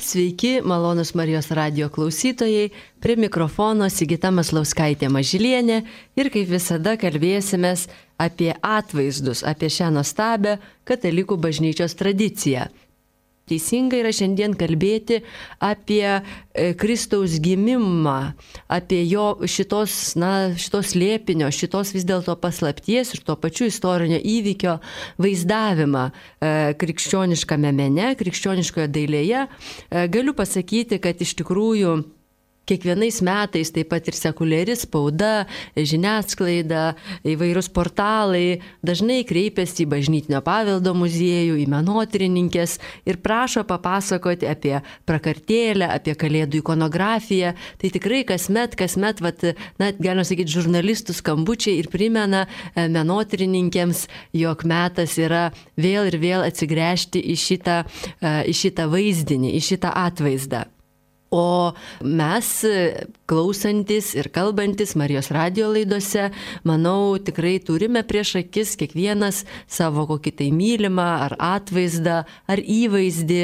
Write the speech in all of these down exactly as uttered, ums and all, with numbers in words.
Sveiki, malonus Marijos radijo klausytojai, prie mikrofono Sigita Maslauskaitė Mažylienė ir kaip visada kalbėsimės apie atvaizdus, apie šią nuostabią katalikų bažnyčios tradiciją. Teisinga yra šiandien kalbėti apie Kristaus gimimą, apie jo šitos, na, šitos slėpinio, šitos vis dėlto paslapties ir tuo pačiu istorinio įvykio vaizdavimą krikščioniškame mene, krikščioniškoje dailėje. Galiu pasakyti, kad iš tikrųjų kiekvienais metais taip pat ir sekuliari spauda, žiniasklaida, įvairūs portalai dažnai kreipiasi į Bažnytinio paveldo muziejų, į menotyrininkes ir prašo papasakoti apie prakartėlę, apie kalėdų ikonografiją. Tai tikrai kasmet, kasmet, vat, na, galima sakyti, žurnalistų skambučiai ir primena menotyrininkėms, jog metas yra vėl ir vėl atsigręžti į šitą, į šitą vaizdinį, į šitą atvaizdą. O mes, klausantis ir kalbantis Marijos radijo laidose, manau, tikrai turime prieš akis kiekvienas savo kokį tai mylimą ar atvaizdą, ar įvaizdį,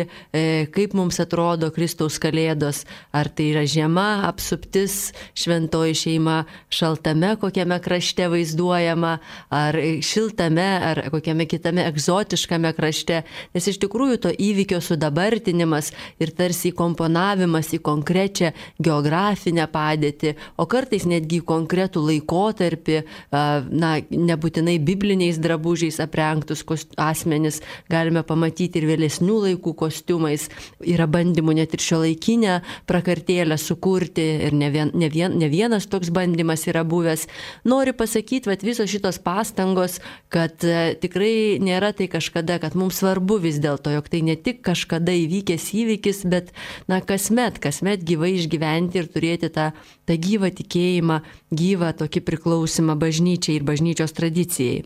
kaip mums atrodo Kristaus kalėdos, ar tai yra žiema, apsuptis, šventoji šeima šaltame kokiame krašte vaizduojama, ar šiltame, ar kokiame kitame egzotiškame krašte, nes iš tikrųjų to įvykio sudabartinimas ir tarsi įkomponavimas į konkrečią geografinę padėtį, o kartais netgi į konkretų laikotarpį, na, nebūtinai bibliniais drabužiais aprengtus asmenis, galime pamatyti ir vėlesnių laikų kostiumais. Yra bandymų net ir šiuolaikinę prakartėlę sukurti ir ne, vien, ne, vien, ne vienas toks bandymas yra buvęs. Noriu pasakyti, kad visos šitos pastangos, kad tikrai nėra tai kažkada, kad mums svarbu vis dėlto, jog tai ne tik kažkada įvykęs įvykis, bet, na, kasmet, kasmet gyvai išgyventi ir turėti tą, tą gyvą tikėjimą, gyvą tokį priklausimą bažnyčiai ir bažnyčios tradicijai.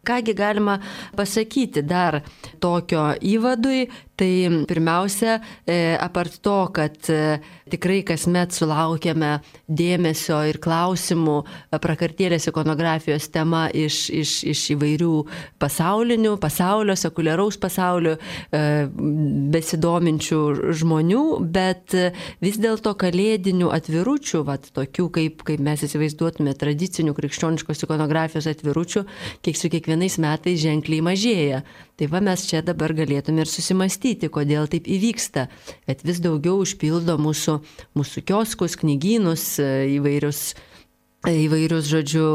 Kągi galima pasakyti dar tokio įvadui, tai pirmiausia, apart to, kad tikrai kasmet sulaukiame dėmesio ir klausimų prakartėlės ikonografijos tema iš, iš, iš įvairių pasaulinių, pasaulio, sekuliaraus pasaulio besidominčių žmonių, bet vis dėlto kalėdinių atviručių, vat, tokių kaip, kaip mes įsivaizduotume tradicinių krikščioniškos ikonografijos atviručių, kiek su kiekvienais metais ženkliai mažėja. Tai va mes čia dabar galėtume ir susimastyti, kodėl taip įvyksta, kad vis daugiau užpildo mūsų, mūsų kioskus, knygynus, įvairius, įvairius, žodžiu,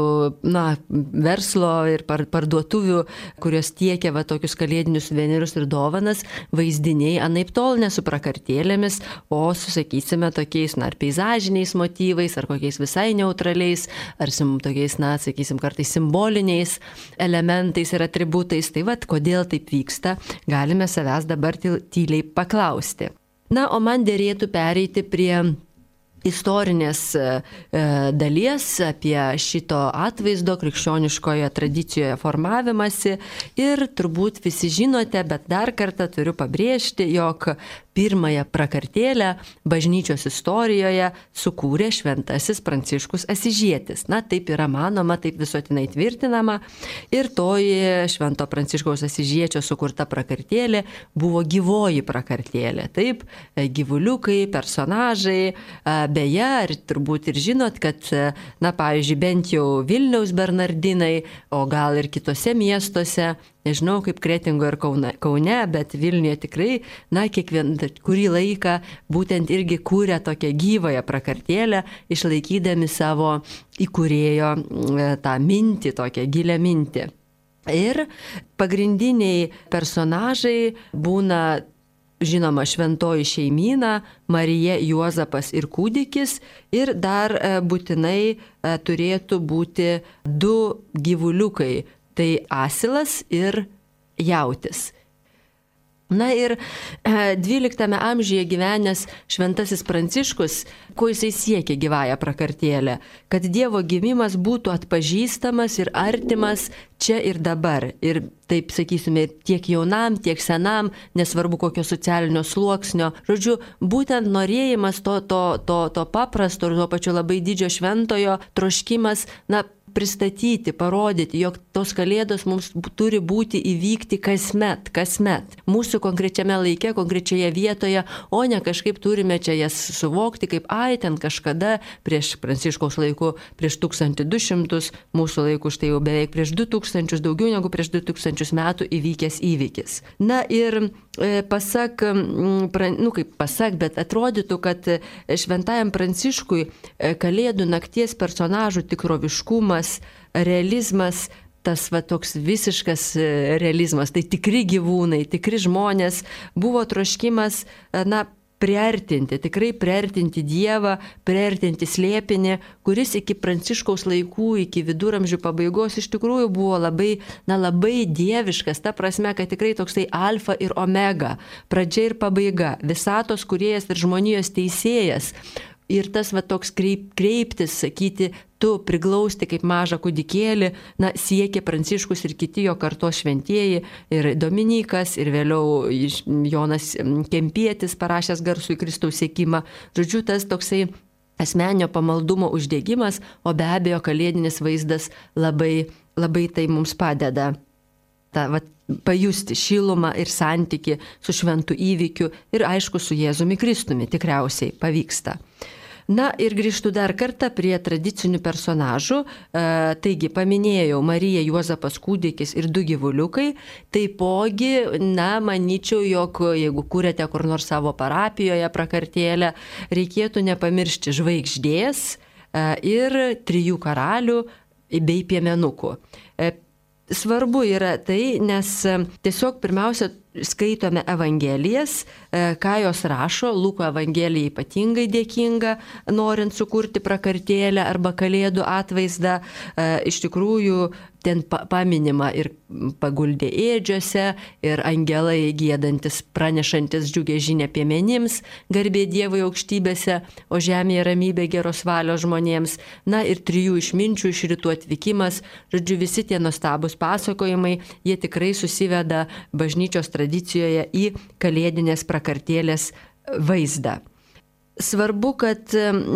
na, verslo ir parduotuvių, kurios tiekia va tokius kalėdinius suvenyrus ir dovanas, vaizdiniai anaiptol ne su prakartėlėmis, o su, sakysime, tokiais, na, ar peizažiniais motyvais, ar kokiais visai neutraliais, ar sim, tokiais, na, sakysim, kartais simboliniais elementais ir atributais. Tai va, kodėl taip vyksta, galime savęs dabar tyliai paklausti. Na, o man dėrėtų pereiti prie istorinės e, dalies apie šito atvaizdo krikščioniškoje tradicijoje formavimąsi ir turbūt visi žinote, bet dar kartą turiu pabrėžti, jog pirmąją prakartėlę bažnyčios istorijoje sukūrė šventasis Pranciškus Asyžietis. Na, taip yra manoma, taip visuotinai tvirtinama. Ir toji švento Pranciškaus Asyžiečio sukurta prakartėlė buvo gyvoji prakartėlė. Taip, gyvuliukai, personažai. Beje, ir turbūt ir žinot, kad, na, pavyzdžiui, bent jau Vilniaus Bernardinai, o gal ir kitose miestuose, nežinau kaip Kretingo ir Kaune, Kaune, bet Vilniuje tikrai, na, kiekvien, kurį laiką būtent irgi kūrė tokią gyvąją prakartėlę, išlaikydami savo įkūrėjo tą mintį, tokią gilią mintį. Ir pagrindiniai personažai būna, žinoma, šventoji šeimyna, Marija, Juozapas ir kūdikis, ir dar būtinai turėtų būti du gyvuliukai. Tai asilas ir jautis. Na ir dvyliktame amžiuje gyvenęs šventasis Pranciškus, ko jisai siekė gyvąją prakartėlę, kad Dievo gimimas būtų atpažįstamas ir artimas čia ir dabar. Ir taip, sakysime, tiek jaunam, tiek senam, nesvarbu kokio socialinio sluoksnio. Žodžiu, būtent norėjimas to, to, to, to paprasto ir tuo pačiu labai didžio šventojo troškimas, na, pristatyti, parodyti, jog tos kalėdos mums turi būti įvykti kasmet, kasmet. Mūsų konkrečiame laike, konkrečioje vietoje, o ne kažkaip turime čia jas suvokti, kaip ai, ten kažkada prieš Pranciškaus laikų, prieš tūkstantį du šimtus, mūsų laikų štai jau beveik prieš du tūkstančius, daugiau negu prieš du tūkstančius metų įvykęs įvykis. Na ir e, pasak, pra, nu kaip pasak, bet atrodytų, kad šventajam Pranciškui e, Kalėdų nakties personažų tikroviškumas, realizmas, tas va toks visiškas realizmas, tai tikri gyvūnai, tikri žmonės, buvo troškimas, na, priartinti, tikrai priartinti Dievą, priartinti slėpinį, kuris iki Pranciškaus laikų, iki viduramžių pabaigos iš tikrųjų buvo labai, na, labai dieviškas, ta prasme, kad tikrai toksai alfa ir omega, pradžia ir pabaiga, visatos kūrėjas ir žmonijos teisėjas. Ir tas va toks kreip, kreiptis, sakyti, tu priglausti kaip mažą kūdikėlį, na, siekė Pranciškus ir kiti jo kartos šventieji, ir Dominikas, ir vėliau Jonas Kempietis parašęs garsų į Kristaus siekimą. Žodžiu, tas toksai asmeninio pamaldumo uždegimas, o be abejo kalėdinis vaizdas labai, labai tai mums padeda. Ta, va, pajusti šilumą ir santyki su šventu įvykiu ir aišku su Jėzumi Kristumi tikriausiai pavyksta. Na ir grįžtu dar kartą prie tradicinių personažų. E, taigi paminėjau Mariją, Juozapas kūdikis ir du gyvuliukai. Taipogi, na, manyčiau, jog jeigu kūrėte kur nors savo parapijoje prakartėlę, reikėtų nepamiršti žvaigždės e, ir trijų karalių bei piemenukų. E, Svarbu yra tai, nes tiesiog pirmiausia skaitome Evangelijas, ką jos rašo. Luko Evangelija ypatingai dėkinga, norint sukurti prakartėlę arba kalėdų atvaizdą. Iš tikrųjų, ten paminima ir paguldė ėdžiose, ir angelai giedantis, pranešantis džiugę žinią piemenims, garbė Dievui aukštybėse, o žemėje ramybė geros valios žmonėms. Na ir trijų išminčių iš rytų atvykimas. Žodžiu, visi tie nuostabūs pasakojimai, jie tikrai susiveda bažnyčios tradicijoje į kalėdinės prakartėlės vaizdą. Svarbu, kad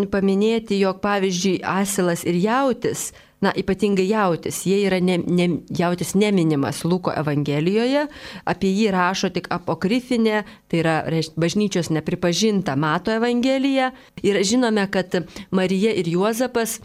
paminėti, jog pavyzdžiui asilas ir jautis, na, ypatingai jautis, jie yra ne, ne, jautis neminimas Luko Evangelijoje, apie jį rašo tik apokrifinė, tai yra bažnyčios nepripažinta Mato Evangelija. Ir žinome, kad Marija ir Juozapas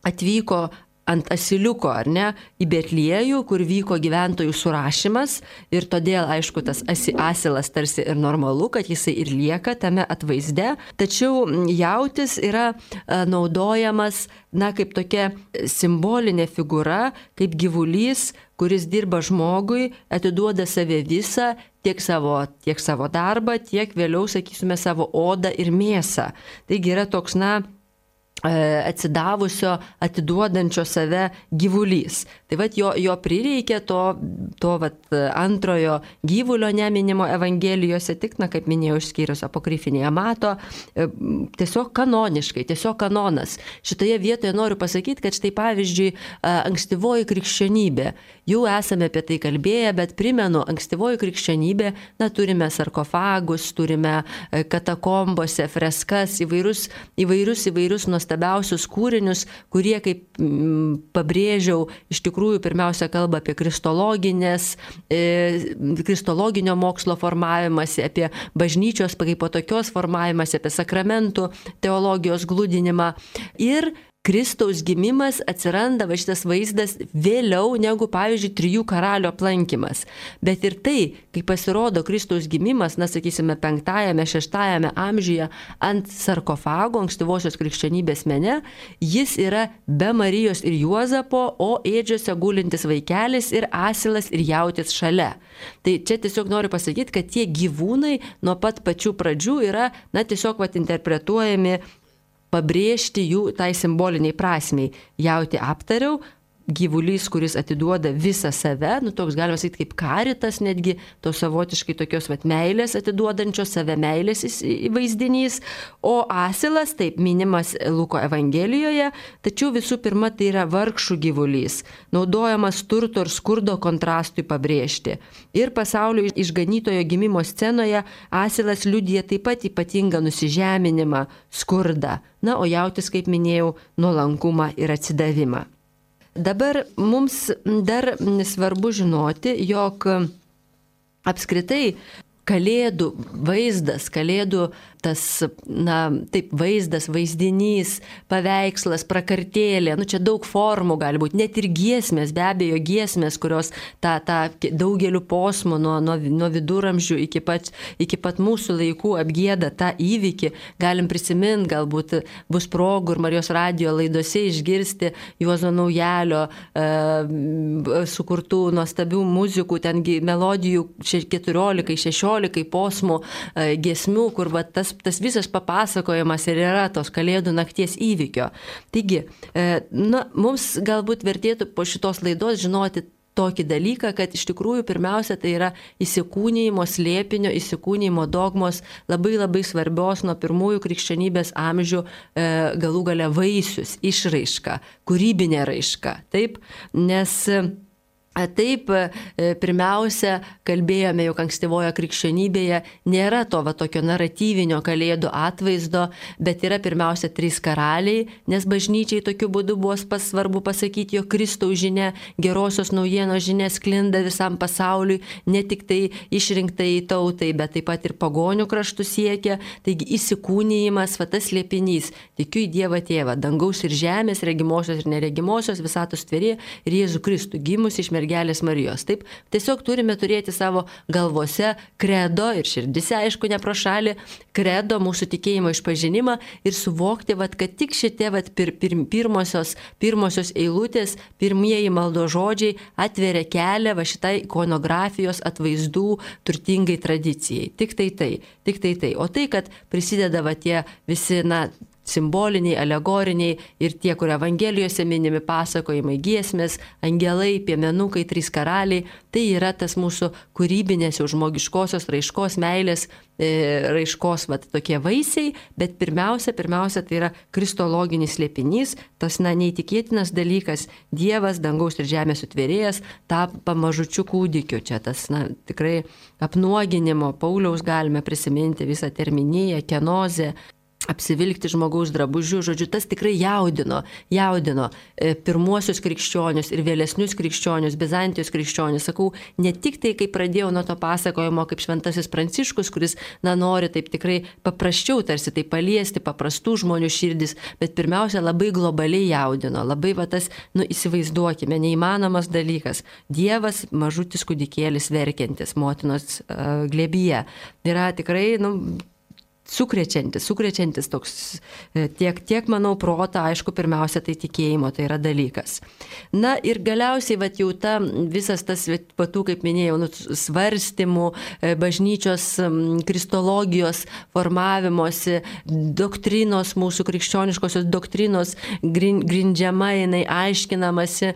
atvyko ant asiliuko, ar ne, į Betliejų, kur vyko gyventojų surašymas, ir todėl, aišku, tas asilas tarsi ir normalu, kad jisai ir lieka tame atvaizde, tačiau jautis yra naudojamas, na, kaip tokia simbolinė figūra, kaip gyvulys, kuris dirba žmogui, atiduoda save visą, tiek savo, tiek savo darbą, tiek vėliau, sakysime, savo odą ir mėsą. Taigi yra toks, na, atsidavusio, atiduodančio save gyvulys. Tai vat jo, jo prireikė to, to vat antrojo gyvulio neminimo Evangelijose, tik, na, kaip minėjau, išskyrus apokrifinėje Mato, tiesiog kanoniškai, tiesiog kanonas. Šitoje vietoje noriu pasakyti, kad štai pavyzdžiui, ankstyvoji krikščionybė, jau esame apie tai kalbėję, bet primenu, ankstyvoji krikščionybė, na, turime sarkofagus, turime katakombose freskas, įvairius, įvairius, įvairius nuostabiausius kūrinius, kurie, kaip m, pabrėžiau, iš tikrųjų pirmiausia kalba apie kristologinės, e, kristologinio mokslo formavimąsi, apie bažnyčios kaip po tokios formavimąsi, apie sakramentų teologijos glūdinimą. Ir Kristaus gimimas atsiranda, va šitas vaizdas, vėliau negu, pavyzdžiui, trijų karalių aplankymas. Bet ir tai, kai pasirodo Kristaus gimimas, na, sakysime, penktajame, šeštajame amžiuje ant sarkofago, ankstyvosios krikščionybės mene, jis yra be Marijos ir Juozapo, o ėdžiose gulintis vaikelis ir asilas ir jautis šalia. Tai čia tiesiog noriu pasakyti, kad tie gyvūnai nuo pat pačių pradžių yra, na, tiesiog vat interpretuojami, pabrėžti jų tai simboliniai prasmiai. Jauti aptariau, gyvulys, kuris atiduoda visą save, nu toks galima sakyti kaip karitas, netgi to savotiškai tokios vat meilės atiduodančios save meilės vaizdinys, o asilas, taip minimas Luko Evangelijoje, tačiau visų pirma tai yra vargšų gyvulys, naudojamas turto ir skurdo kontrastui pabrėžti. Ir pasaulio išganytojo gimimo scenoje asilas liudija taip pat ypatingą nusižeminimą, skurdą, na, o jautis, kaip minėjau, nuolankumą ir atsidavimą. Dabar mums dar svarbu žinoti, jog apskritai Kalėdų vaizdas, Kalėdų tas, na, taip, vaizdas, vaizdinys, paveikslas, prakartėlė, nu čia daug formų gali būti, net ir giesmės, be abejo giesmės, kurios tą, tą daugeliu posmų nuo, nuo, nuo viduramžių iki pat, iki pat mūsų laikų apgieda tą įvykį, galim prisiminti, galbūt bus progų ir Marijos radijo laidose išgirsti Juozo Naujalio e, sukurtų nuostabių muzikų, tengi melodijų keturiolika šešiolika posmų e, giesmių, kur va, tas, tas visas papasakojimas ir yra tos Kalėdų nakties įvykio. Taigi, e, na, mums galbūt vertėtų po šitos laidos žinoti tokį dalyką, kad iš tikrųjų pirmiausia tai yra įsikūnijimo slėpinio, įsikūnijimo dogmos labai labai svarbios nuo pirmųjų krikščionybės amžių e, galų gale vaisius, išraiška, kūrybinė raiška. Taip, nes taip, pirmiausia, kalbėjome, jog ankstyvoje krikščionybėje nėra to va, tokio naratyvinio Kalėdų atvaizdo, bet yra pirmiausia trys karaliai, nes bažnyčiai tokiu būdu buvo pas, svarbu pasakyti, jog Kristaus žinia, gerosios naujienos žinia sklinda visam pasauliui, ne tik tai išrinktai tautai, bet taip pat ir pagonių kraštų siekia. Taigi įsikūnijimas, va tas slėpinys, tikiu į Dievą Tėvą, dangaus ir žemės, regimosios ir neregimosios, visatos tvėrėją ir Jėzų Kristų, gimus iš mergelės Marijos. Taip, tiesiog turime turėti savo galvose kredo ir širdise, aišku, ne pro šalį, kredo mūsų tikėjimo išpažinimą ir suvokti, vat, kad tik šitie vat, pir, pir, pirmosios, pirmosios eilutės, pirmieji maldo žodžiai atveria kelią va šitai ikonografijos atvaizdų turtingai tradicijai. Tik tai tai, tik tai tai. O tai, kad prisideda va tie visi, na, simboliniai, alegoriniai ir tie, kur Evangelijose minimi pasakojimai, giesmės, angelai, piemenukai, trys karaliai, tai yra tas mūsų kūrybinės jau žmogiškosios raiškos, meilės e, raiškos vat, tokie vaisiai, bet pirmiausia, pirmiausia tai yra kristologinis slėpinys, tas na, neįtikėtinas dalykas, Dievas, dangaus ir žemės sutvėrėjas, tampa mažučiu kūdikiu. Čia tas na, tikrai apnuoginimo, Pauliaus galime prisiminti visą terminiją, kenozę, apsivilkti žmogaus drabužių, žodžiu, tas tikrai jaudino, jaudino pirmuosius krikščionius ir vėlesnius krikščionius, Bizantijos krikščionius. Sakau, ne tik tai, kai pradėjau nuo to pasakojimo, kaip šventasis Pranciškus, kuris, na, nori taip tikrai paprasčiau tarsi tai paliesti, paprastų žmonių širdis, bet pirmiausia, labai globaliai jaudino, labai va tas, nu, įsivaizduokime, neįmanomas dalykas. Dievas, mažutis kūdikėlis verkiantis motinos uh, glėbyje. Yra tikrai, nu, sukrečiantis, sukrečiantis toks tiek, tiek, manau, protą, aišku, pirmiausia, tai tikėjimo, tai yra dalykas. Na ir galiausiai, vat jau ta visas tas, patų, kaip minėjau, nu, svarstymų, bažnyčios kristologijos formavimosi, doktrinos, mūsų krikščioniškosios doktrinos grindžiama, jinai aiškinamasi,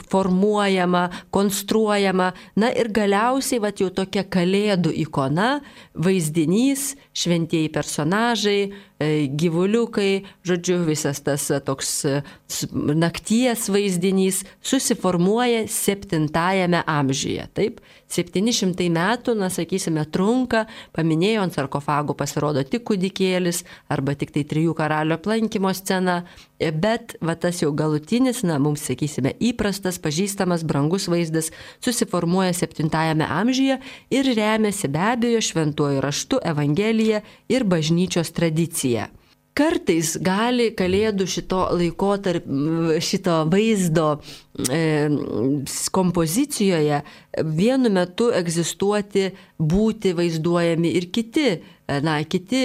formuojama, konstruojama. Na ir galiausiai, vat jau tokia Kalėdų ikona, vaizdinys, šventieji personažai, gyvuliukai, žodžiu, visas tas toks nakties vaizdinys susiformuoja septintajame amžiuje. Taip, septyni šimtai metų, na, sakysime, trunka, paminėjo, ant sarkofagų pasirodo tik kūdikėlis arba tik tai trijų karalių aplankymo scena, bet va tas jau galutinis, na, mums, sakysime, įprastas, pažįstamas, brangus vaizdas susiformuoja septintajame amžiuje ir remiasi be abejo šventuoju raštu, Evangelija ir bažnyčios tradicija. Kartais gali Kalėdų šito laikotarp, šito vaizdo e, kompozicijoje vienu metu egzistuoti, būti vaizduojami ir kiti, na, kiti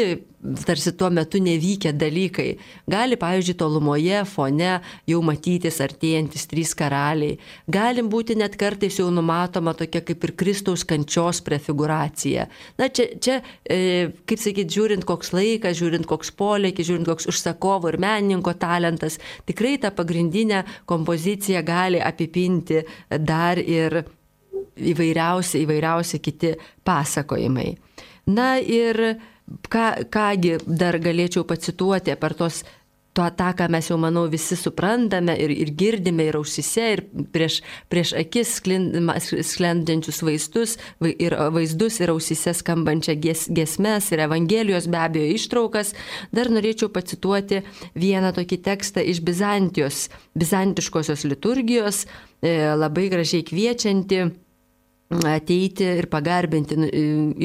tarsi tuo metu nevykę dalykai. Gali, pavyzdžiui, tolumoje fone jau matytis artėjantis trys karaliai. Galim būti net kartais jau numatoma tokia kaip ir Kristaus kančios prefiguracija. Na, čia, čia e, kaip sakyti, žiūrint koks laikas, žiūrint koks polėkis, žiūrint koks užsakovo ir menininko talentas, tikrai tą pagrindinę kompoziciją gali apipinti dar ir įvairiausi, įvairiausi kiti pasakojimai. Na ir Ką, kągi dar galėčiau pacituoti per tos tuo tą, ką mes jau, manau, visi suprantame ir, ir girdime ir ausise, ir prieš, prieš akis sklendančius vaizdus, ir vaizdus ir ausise skambančią gies, giesmes ir Evangelijos be abejo ištraukas, dar norėčiau pacituoti vieną tokį tekstą iš Bizantijos, bizantiškosios liturgijos, labai gražiai kviečianti ateiti ir pagarbinti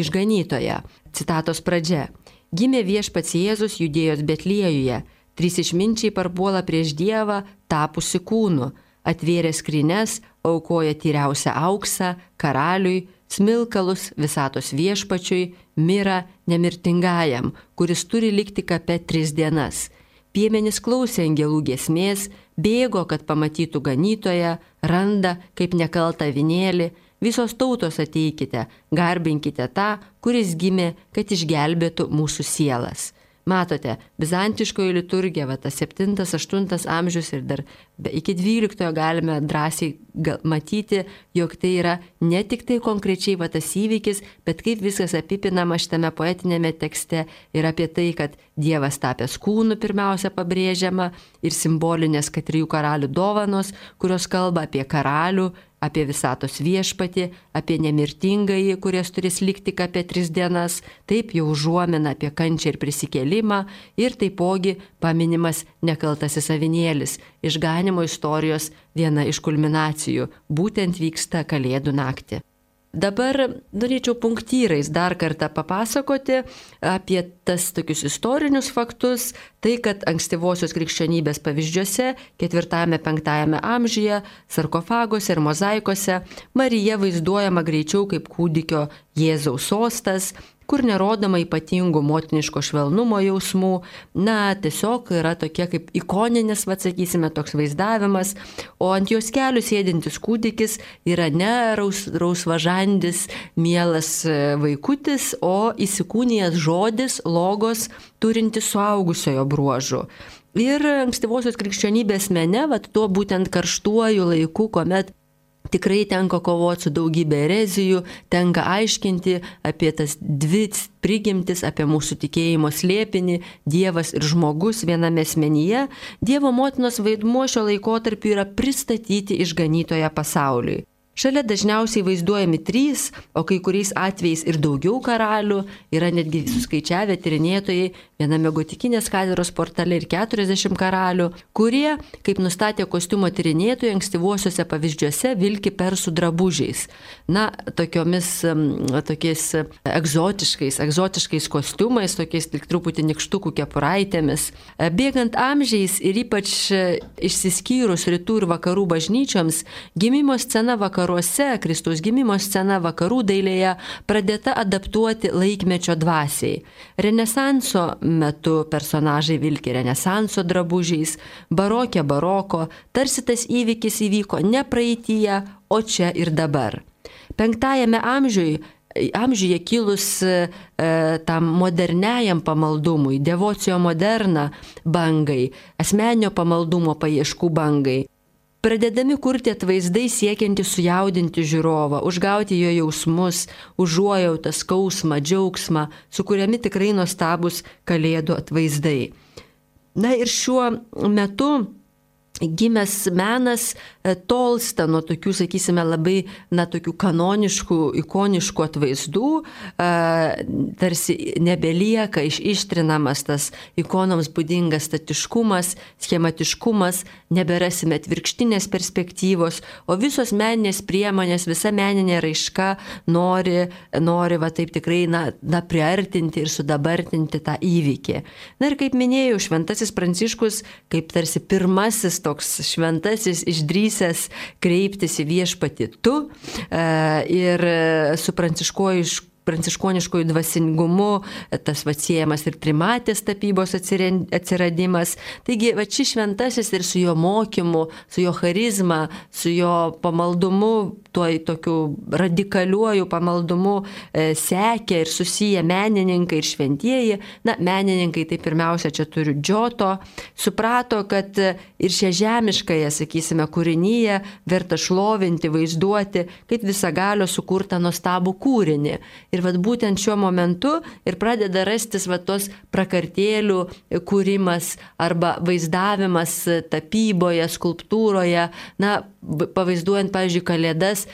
išganytoją. Citatos pradžia. Gimė viešpats Jėzus Judėjos Betliejuje, trys išminčiai parpuola prieš Dievą, tapusi kūnu, atvėrė skrynes, aukoja tyriausią auksą, karaliui, smilkalus visatos viešpačiui, mirą nemirtingajam, kuris turi likti kape tris dienas. Piemenys klausė angelų giesmės, bėgo, kad pamatytų ganytoją, randa kaip nekaltą avinėlį. Visos tautos ateikite, garbinkite tą, kuris gimė, kad išgelbėtų mūsų sielas. Matote, bizantiškoji liturgija, va, tas septintas, aštuntas amžius ir dar iki dvyliktojo galime drąsiai matyti, jog tai yra ne tik tai konkrečiai va, tas įvykis, bet kaip viskas apipinama šitame poetinėme tekste ir apie tai, kad Dievas tapęs kūnu pirmiausia pabrėžiama ir simbolinės kad trijų karalių dovanos, kurios kalba apie karalių, apie visatos viešpatį, apie nemirtingąjį, kuris turės likti apie tris dienas, taip jau užuomina apie kančią ir prisikėlimą ir taipogi paminimas nekaltasis avinėlis, išganimo istorijos viena iš kulminacijų, būtent vyksta Kalėdų naktį. Dabar norėčiau punktyrais dar kartą papasakoti apie tas tokius istorinius faktus, tai kad ankstyvosios krikščionybės pavyzdžiuose, ketvirtajame penktajame amžiuje, sarkofaguose ir mozaikose Marija vaizduojama greičiau kaip kūdikio Jėzaus sostas, kur nerodoma ypatingų motiniško švelnumo jausmų, na, tiesiog yra tokie kaip ikoninis, va, sakysime, toks vaizdavimas, o ant jos kelių sėdintis kūdikis yra ne raus, rausvažandis, mielas vaikutis, o įsikūnijęs žodis, logos, turintis suaugusiojo bruožų. Ir ankstyvosios krikščionybės mene, va, tuo būtent karštuoju laiku, kuomet tikrai tenka kovoti su daugybė erezijų, tenka aiškinti apie tas dvi prigimtis, apie mūsų tikėjimo slėpinį, Dievas ir žmogus viename asmenyje. Dievo motinos vaidmuo šio laikotarpiu yra pristatyti išganytoją pasauliui. Šalia dažniausiai vaizduojami trys, o kai kuriais atvejais ir daugiau karalių, yra netgi suskaičiavę tyrinėtojai viename gotikinės katedros portale ir keturiasdešimt karalių, kurie, kaip nustatė kostiumo tyrinėtojai, ankstyvuosiuose pavyzdžiuose vilki persų drabužiais. Na, tokiomis, tokiais egzotiškais, egzotiškais kostiumais, tokiais tik truputį nikštukų kepuraitėmis. Bėgant amžiais ir ypač išsiskyrus rytų ir vakarų bažnyčioms, gimimo scena vakarų Kristaus gimimo scena vakarų dailėje pradėta adaptuoti laikmečio dvasiai. Renesanso metu personažai vilki renesanso drabužiais, barokė baroko, tarsi tas įvykis įvyko ne praeityje, o čia ir dabar. Penktajame amžiuje amžiuje kilus e, tam moderniajam pamaldumui, devocio moderna bangai, asmeninio pamaldumo paieškų bangai, pradedami kurti atvaizdai siekianti sujaudinti žiūrovą, užgauti jo jausmus, užuojautą, skausmą, džiaugsmą, sukuriami tikrai nuostabus kalėdų atvaizdai. Na ir šiuo metu gimęs menas tolsta nuo tokių, sakysime, labai, na, tokių kanoniškų, ikoniškų atvaizdų, tarsi nebelieka iš, ištrinamas tas ikonoms būdingas statiškumas, schematiškumas, neberasime atvirkštinės perspektyvos, o visos meninės priemonės, visa meninė raiška nori, nori va taip tikrai, na, na, priartinti ir sudabartinti tą įvykį. Na ir kaip minėjau, šventasis Pranciškus, kaip tarsi pirmasis toks šventasis išdrysęs kreiptis į viešpatį tu ir su pranciškuoju pranciškoniškojų dvasingumu, tas atsiejamas ir trimatės tapybos atsiradimas. Taigi, va šis šventasis ir su jo mokymu, su jo charizma, su jo pamaldumu, tuo tokiu radikaliuoju pamaldumu e, sekė ir susiję menininkai ir šventieji. Na, menininkai tai pirmiausia čia turiu Džioto, suprato, kad ir šią žemiškąją, sakysime, kūrinyje verta šlovinti, vaizduoti, kaip visagalio sukurtą nuostabų kūrinį. Ir vat būtent šiuo momentu ir pradeda rastis vat tos prakartėlių kūrimas arba vaizdavimas tapyboje, skulptūroje, na, pavaizduojant, pavyzdžiui, Kalėdas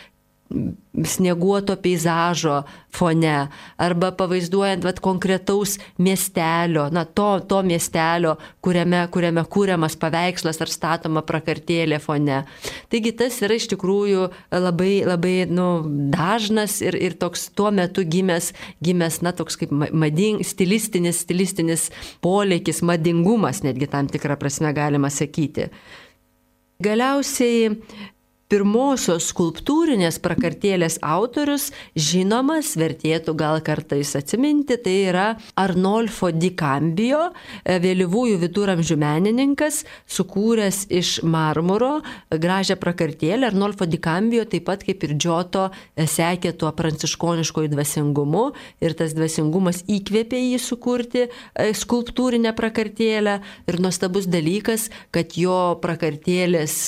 snieguoto peizažo fone arba pavaizduojant vat, konkretaus miestelio, na, to, to miestelio, kuriame, kuriame kūriamas paveikslas ar statoma prakartėlė fone. Taigi tas yra iš tikrųjų labai, labai nu, dažnas ir, ir toks tuo metu gimęs, gimęs na, toks kaip mading, stilistinis, stilistinis polėkis, madingumas, netgi tam tikrą prasme galima sakyti. Galiausiai pirmosios skulptūrinės prakartėlės autorius, žinomas, vertėtų gal kartais atsiminti, tai yra Arnolfo di Cambio, vėlyvųjų viduramžių menininkas, sukūręs iš marmuro gražią prakartėlę. Arnolfo di Cambio taip pat kaip ir Giotto sekė tuo pranciškoniškoju dvasingumu ir tas dvasingumas įkvėpė jį sukurti skulptūrinę prakartėlę. Ir nuostabus dalykas, kad jo prakartėlės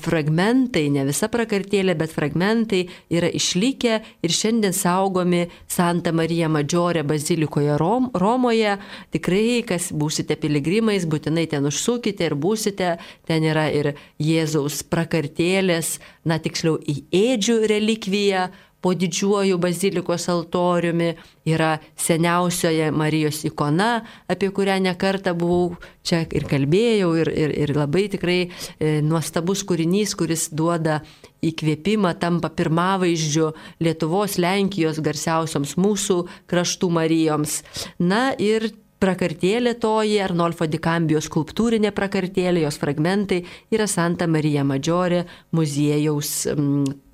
fragmentai, ne visa prakartėlė, bet fragmentai yra išlikę ir šiandien saugomi Santa Marija Maggiore bazilikoje Rom, Romoje. Tikrai, kas būsite piligrimais, būtinai ten užsukite ir būsite. Ten yra ir Jėzaus prakartėlės, na tiksliau į ėdžių relikviją, po didžiuoju bazilikos altoriumi, yra seniausioje Marijos ikona, apie kurią nekartą buvau čia ir kalbėjau, ir, ir, ir labai tikrai e, nuostabus kūrinys, kuris duoda įkvėpimą, tampa pirmavaizdžiu Lietuvos, Lenkijos garsiausioms mūsų kraštų Marijoms. Na ir prakartėlė toji, Arnolfo di Cambio skulptūrinė prakartėlė, jos fragmentai yra Santa Marija Maggiore muziejaus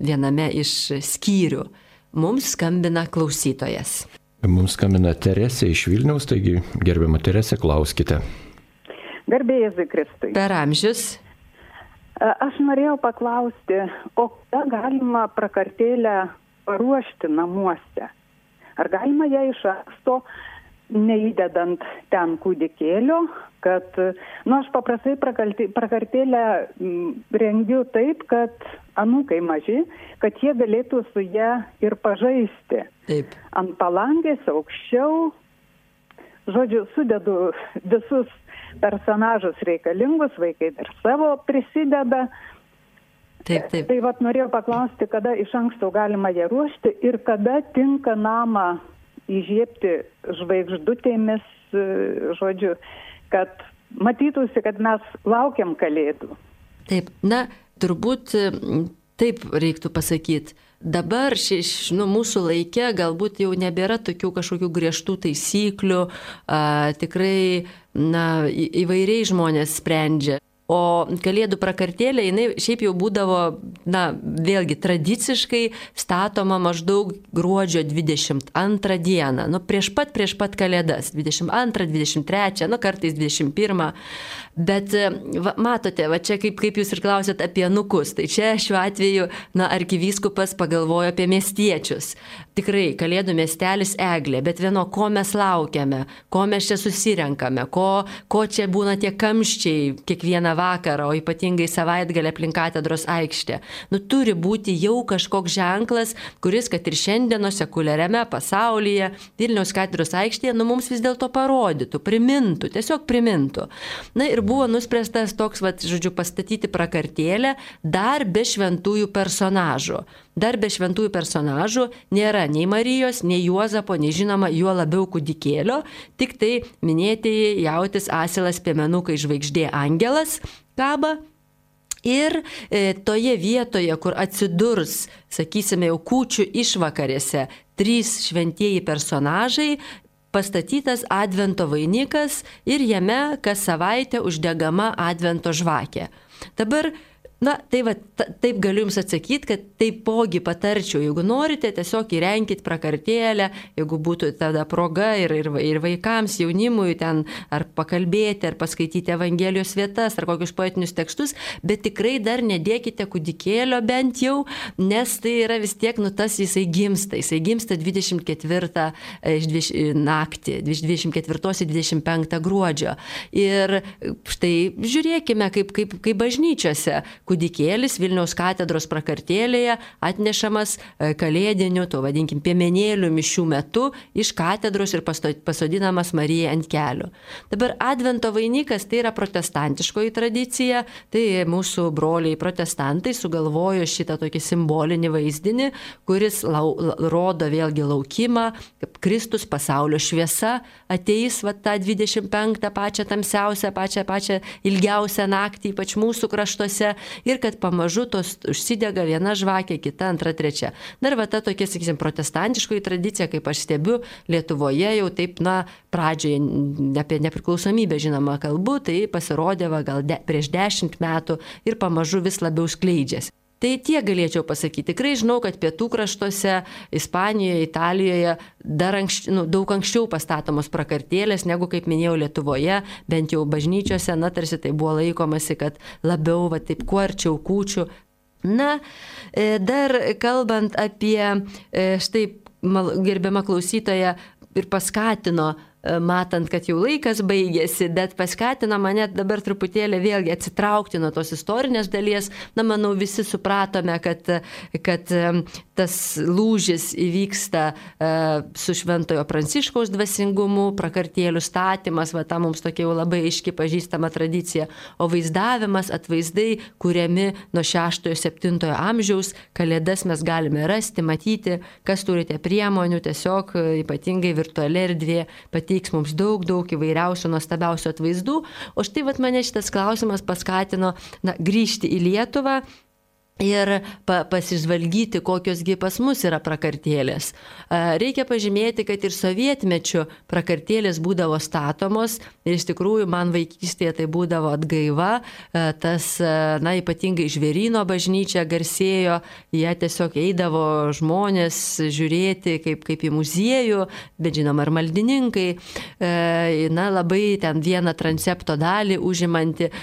viename iš skyrių. Mums skambina klausytojas. Mums skambina Teresė iš Vilniaus, taigi gerbiama Teresė, klauskite. Garbė Jėzui Kristui. Per amžius. Aš norėjau paklausti, o ką galima prakartėlę paruošti namuose? Ar galima ją iš anksto, neįdedant ten kūdikėlio, kad, nu, aš paprastai prakartėlę rengiu taip, kad anūkai maži, kad jie galėtų su ją ir pažaisti. Taip. Ant palangės aukščiau, žodžiu, sudedu visus personažus reikalingus, vaikai dar savo prisideda. Taip, taip. Tai vat norėjau paklausti, kada iš anksto galima ją ruošti ir kada tinka namą įžiebti žvaigždutėmis, žodžiu, kad matytųsi, kad mes laukiam Kalėdų. Taip, na, turbūt taip reiktų pasakyti. Dabar ši, nu, mūsų laike galbūt jau nebėra tokių kažkokių griežtų taisyklių, a, tikrai na, į, įvairiai žmonės sprendžia. O Kalėdų prakartėlė, jinai šiaip jau būdavo, na, vėlgi tradiciškai statoma maždaug gruodžio dvidešimt antrą dieną, nu, prieš pat, prieš pat Kalėdas, dvidešimt antrą, dvidešimt trečią, nu, kartais dvidešimt pirmą. Bet va, matote, va čia kaip, kaip jūs ir klausėt apie anūkus, tai čia šiuo atveju, na, arkivyskupas pagalvojo apie miestiečius. Tikrai, Kalėdų miestelis Eglė, bet vieno, ko mes laukiame, ko mes čia susirenkame, ko, ko čia būna tie kamščiai kiekvieną vakarą, o ypatingai savaitgalį aplink katedros aikštę. Nu, turi būti jau kažkoks ženklas, kuris, kad ir šiandieno sekuliariame pasaulyje, Vilniaus katedros aikštėje, nu, mums vis dėlto parodytų, primintų, tiesiog primintų. Na ir buvo nuspręstas toks, vat, žodžiu, pastatyti prakartėlę dar be šventųjų personažų. Dar be šventųjų personažų nėra nei Marijos, nei Juozapo, nei žinoma, juo labiau kūdikėlio, tik tai minėtieji jautis, asilas, piemenukai, žvaigždė, angelas kaba. Ir e, toje vietoje, kur atsidurs, sakysime, jau kūčių išvakarėse trys šventieji personažai, pastatytas advento vainikas ir jame kas savaitę uždegama advento žvakė. Dabar, na, tai va, ta, taip galiu Jums atsakyti, kad taipogi patarčiau, jeigu norite, tiesiog įrenkit prakartėlę, jeigu būtų tada proga ir, ir, ir vaikams, jaunimui ten ar pakalbėti, ar paskaityti Evangelijos vietas, ar kokius poetinius tekstus, bet tikrai dar nedėkite kūdikėlio bent jau, nes tai yra vis tiek, nu, tas jisai gimsta, jisai gimsta dvidešimt ketvirtą naktį, dvidešimt ketvirtos į dvidešimt penktą gruodžio. Ir štai žiūrėkime, kaip, kaip, kaip bažnyčiose, kūdikėlis Vilniaus katedros prakartėlėje atnešamas kalėdiniu, to vadinkim, piemenėlių mišių metu iš katedros ir pasodinamas Marijai ant kelių. Dabar Advento vainikas tai yra protestantiškoji tradicija, tai mūsų broliai protestantai sugalvojo šitą tokį simbolinį vaizdinį, kuris lau, rodo vėlgi laukimą, kaip Kristus pasaulio šviesa ateis va tą dvidešimt penktą pačią tamsiausią, pačią, pačią ilgiausią naktį, ypač mūsų kraštuose, ir kad pamažu tos užsidega viena žvakė, kita, antra, trečia. Dar va ta tokia, sakysim, protestantiškoji tradicija, kaip aš stebiu, Lietuvoje jau taip, na, pradžioje apie nepriklausomybę žinoma kalbu, tai pasirodė va, gal de, prieš dešimt metų ir pamažu vis labiau skleidžiasi. Tai tiek galėčiau pasakyti. Tikrai žinau, kad pietų kraštuose, Ispanijoje, Italijoje dar anksč, nu, daug anksčiau pastatomos prakartėlės, negu, kaip minėjau, Lietuvoje, bent jau bažnyčiose, na, tarsi tai buvo laikomasi, kad labiau, va, taip, kuo arčiau kūčių. Na, dar kalbant apie, štai, gerbiama klausytoja ir paskatino, matant, kad jau laikas baigėsi, bet paskatino mane dabar truputėlį vėlgi atsitraukti nuo tos istorinės dalies. Na, manau, visi supratome, kad, kad tas lūžis įvyksta su Šventojo Pranciškaus dvasingumu, prakartėlių statymas, va ta mums tokia jau labai aiški pažįstama tradicija, o vaizdavimas, atvaizdai, kuriami nuo šeštojo septintojo amžiaus, kalėdas mes galime rasti, matyti, kas turite priemonių, tiesiog ypatingai virtuali erdvė pati mums daug, daug įvairiausių, nuostabiausių atvaizdų. O štai vat mane šitas klausimas paskatino, na, grįžti į Lietuvą ir pa, pasižvalgyti, kokiosgi pas mus yra prakartėlės. Reikia pažymėti, kad ir sovietmečiu prakartėlės būdavo statomos ir iš tikrųjų man vaikystėje tai būdavo atgaiva. Tas, na, ypatingai Žvėryno bažnyčia garsėjo, jie tiesiog eidavo žmonės žiūrėti kaip, kaip į muziejų, bet žinoma ir maldininkai. Na, labai ten vieną transepto dalį užimanti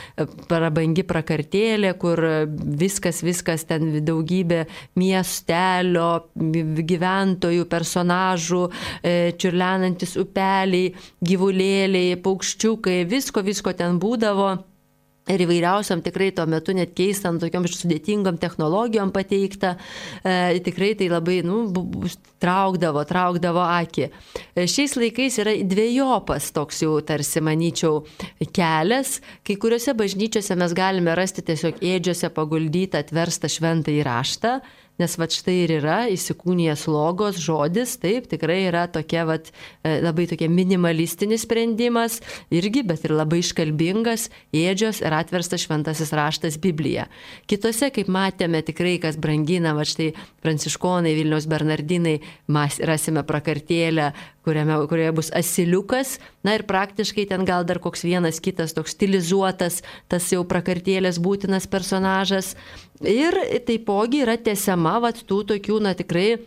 prabangi prakartėlė, kur viskas, viskas Viskas ten daugybė miestelio, gyventojų, personažų, čiurlenantis upeliai, gyvulėliai, paukščiukai, visko, visko ten būdavo. Ir įvairiausiam tikrai tuo metu net keistam, tokiom sudėtingom technologijom pateikta, e, tikrai tai labai, nu, traukdavo, traukdavo akį. E, šiais laikais yra dviejopas toks jau tarsi, manyčiau, kelias. Kai kuriuose bažnyčiose mes galime rasti tiesiog ėdžiose paguldytą atverstą šventąjį raštą, nes vat štai ir yra įsikūnijęs logos žodis, taip, tikrai yra tokia vat, labai tokia minimalistinis sprendimas, irgi, bet ir labai iškalbingas, ėdžios ir atverstas šventasis raštas Biblija. Kitose, kaip matėme, tikrai, kas brangina, vat štai pranciškonai, Vilniaus bernardinai, mes rasime prakartėlę, kuriame, kurioje bus asiliukas, na ir praktiškai ten gal dar koks vienas kitas toks stilizuotas, tas jau prakartėlės būtinas personažas. Ir taipogi yra tęsiama vat tų tokių, na tikrai,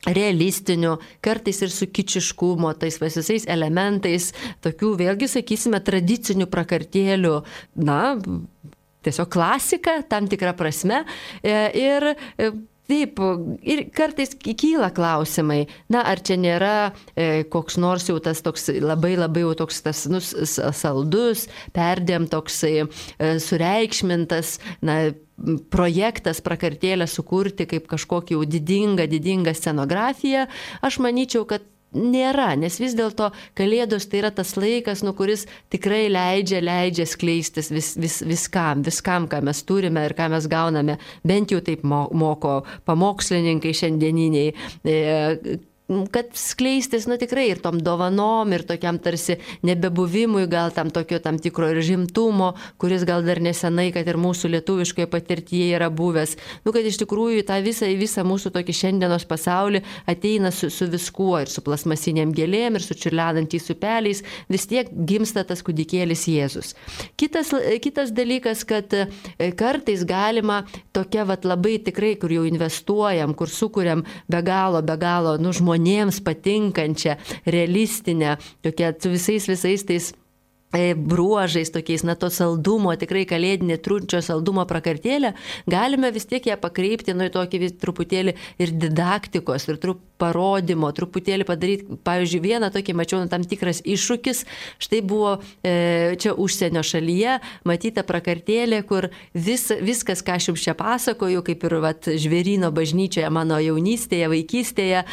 realistinių, kartais ir su kičiškumo, tais visais elementais, tokių vėlgi, sakysime, tradicinių prakartėlių, na, tiesiog klasika, tam tikra prasme. Ir taip, ir kartais kyla klausimai, na, ar čia nėra e, koks nors jau tas toks labai labai jau toks tas nu, saldus, perdėm toksai e, sureikšmintas, na, projektas prakartėlę sukurti kaip kažkokį jau didingą, didingą scenografiją. Aš manyčiau, kad nėra, nes vis dėlto Kalėdos tai yra tas laikas, nu, kuris tikrai leidžia, leidžia skleistis vis, vis, viskam, viskam, ką mes turime ir ką mes gauname, bent jau taip moko pamokslininkai šiandieniniai, e, kad skleistis, nu, tikrai ir tom dovanom, ir tokiam tarsi nebebuvimui, gal tam tokio tam tikro ir žimtumo, kuris gal dar nesenai, kad ir mūsų lietuviškoje patirtyje yra buvęs. Nu, kad iš tikrųjų tą visą, visą mūsų tokį šiandienos pasaulį ateina su, su viskuo, ir su plasmasiniam gėlėm, ir su čiurlenantys upeliais, vis tiek gimsta tas kūdikėlis Jėzus. Kitas, kitas dalykas, kad kartais galima tokia vat labai tikrai, kur jau investuojam, kur sukuriam be galo, be galo, nu, žmonės, patinkančią, realistinę, tokia su visais visais tais bruožais tokiais, na, to saldumo, tikrai kalėdinė trunčio saldumo prakartėlė, galime vis tiek ją pakreipti, nu, į tokį vis truputėlį ir didaktikos, ir trup parodymo, truputėlį padaryti, pavyzdžiui, vieną tokį mačiau, nu, tam tikras iššūkis, štai buvo e, čia užsienio šalyje, matyta prakartėlė, kur vis, viskas, ką aš jums čia pasakoju, kaip ir vat, Žvėryno bažnyčioje mano jaunystėje, vaikystėje,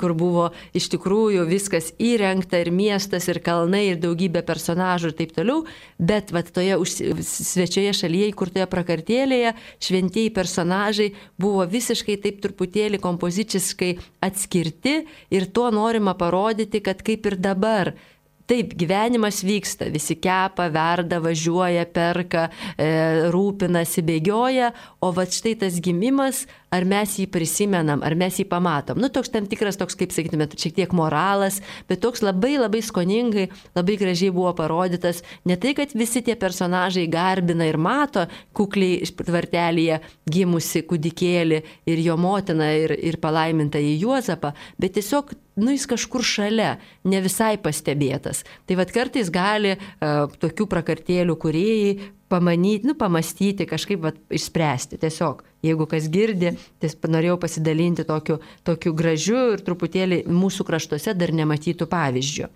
kur buvo iš tikrųjų viskas įrengta, ir miestas, ir kalnai, ir daugybė personažų ir taip toliau, bet vat, toje už, svečioje šalyje, įkurtoje prakartėlėje, šventieji personažai buvo visiškai taip truputėlį kompoziciškai atskirti, ir tuo norima parodyti, kad kaip ir dabar. Taip, gyvenimas vyksta, visi kepa, verda, važiuoja, perka, e, rūpinasi, bėgioja, o va štai tas gimimas, ar mes jį prisimenam, ar mes jį pamatom. Nu, toks tam tikras, toks, kaip sakytume, šiek tiek moralas, bet toks labai labai skoningai, labai gražiai buvo parodytas. Ne tai, kad visi tie personažai garbina ir mato kukliai tvartelėje gimusi kūdikėlį ir jo motiną ir, ir palaimintą į Juozapą, bet tiesiog, nu, jis kažkur šalia, ne visai pastebėtas. Tai vad kartais gali uh, tokių prakartėlių kūrėjai pamanyti, nu, pamastyti, kažkaip vat, išspręsti. Tiesiog, jeigu kas girdi, tai norėjau pasidalinti tokiu, tokiu gražiu ir truputėlį mūsų kraštuose dar nematytų pavyzdžių.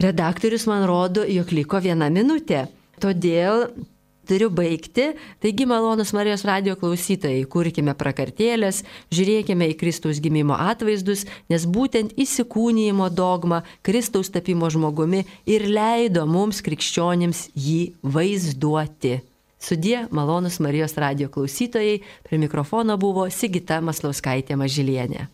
Redaktorius man rodo, jog liko viena minutė. Todėl turiu baigti. Taigi, malonus Marijos radijo klausytojai, kurkime prakartėlės, žiūrėkime į Kristaus gimimo atvaizdus, nes būtent įsikūnijimo dogma Kristaus tapimo žmogumi ir leido mums krikščionims jį vaizduoti. Sudie, malonus Marijos radijo klausytojai, prie mikrofono buvo Sigita Maslauskaitė Mažylienė.